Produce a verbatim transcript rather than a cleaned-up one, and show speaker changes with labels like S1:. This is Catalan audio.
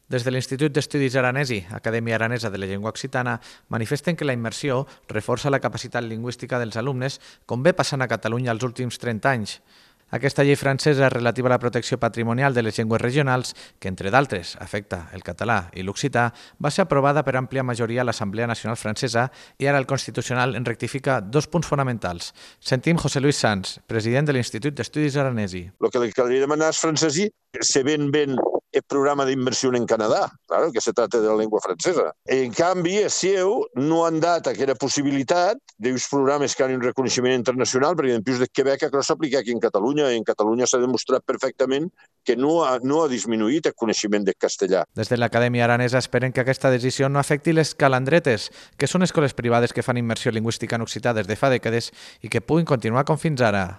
S1: Des de l'Institut d'Estudis Aranesi, Acadèmia Aranesa de la Llengua Occitana, manifesten que la immersió reforça la capacitat lingüística dels alumnes, com ve passant a Catalunya els últims trenta anys. Aquesta llei francesa relativa a la protecció patrimonial de les llengües regionals, que entre d'altres afecta el català i l'occità, va ser aprovada per àmplia majoria a l'Assemblea Nacional Francesa i ara el Constitucional en rectifica dos punts fonamentals. Sentim José Luis Sanz, president de l'Institut d'Estudis Aranesi.
S2: El que li caldria demanar als francesos se ven ben el programa d'inversió en Canadà, claro, que se trata de la llengua francesa. En canvi, a seu no han dat aquesta possibilitat d'uns programes que han un reconeixement internacional, perquè en plus de Quebec això s'aplica aquí en Catalunya, i en Catalunya s'ha demostrat perfectament que no ha, no ha disminuït el coneixement del castellà.
S1: Des de l'Acadèmia Aranesa esperen que aquesta decisió no afecti les calandretes, que són escoles privades que fan immersió lingüística en occità des de fa dècades i que puguin continuar com fins ara.